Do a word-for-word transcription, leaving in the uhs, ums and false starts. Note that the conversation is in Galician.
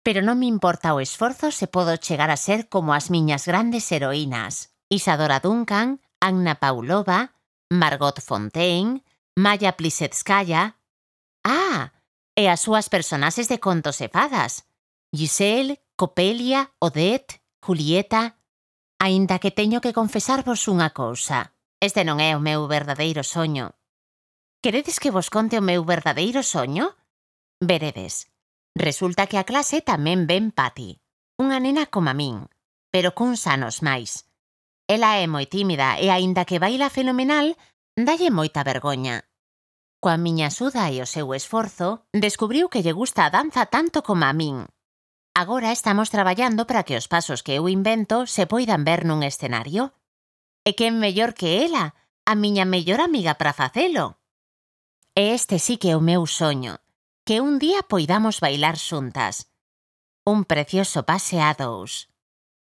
Pero non me importa o esforzo se podo chegar a ser como as miñas grandes heroínas. Isadora Duncan, Anna Pavlova, Margot Fonteyn, Maya Plisetskaya... Ah, e as súas personaxes de contos e fadas. Giselle, Copelia, Odette, Julieta... Aínda que teño que confesarvos unha cousa. Este non é o meu verdadeiro soño. Queredes que vos conte o meu verdadeiro soño? Veredes. Resulta que a clase tamén ven Patty, unha nena como a min, pero cuns anos máis. Ela é moi tímida e aínda que baila fenomenal, dalle moita vergoña. Coa miña axuda e o seu esforzo, descubriu que lle gusta a danza tanto como a min. Agora estamos traballando para que os pasos que eu invento se poidan ver nun escenario. E quen mellor que ela, a miña mellor amiga para facelo. E este sí que é o meu soño, que un día poidamos bailar xuntas. Un precioso pase a dous.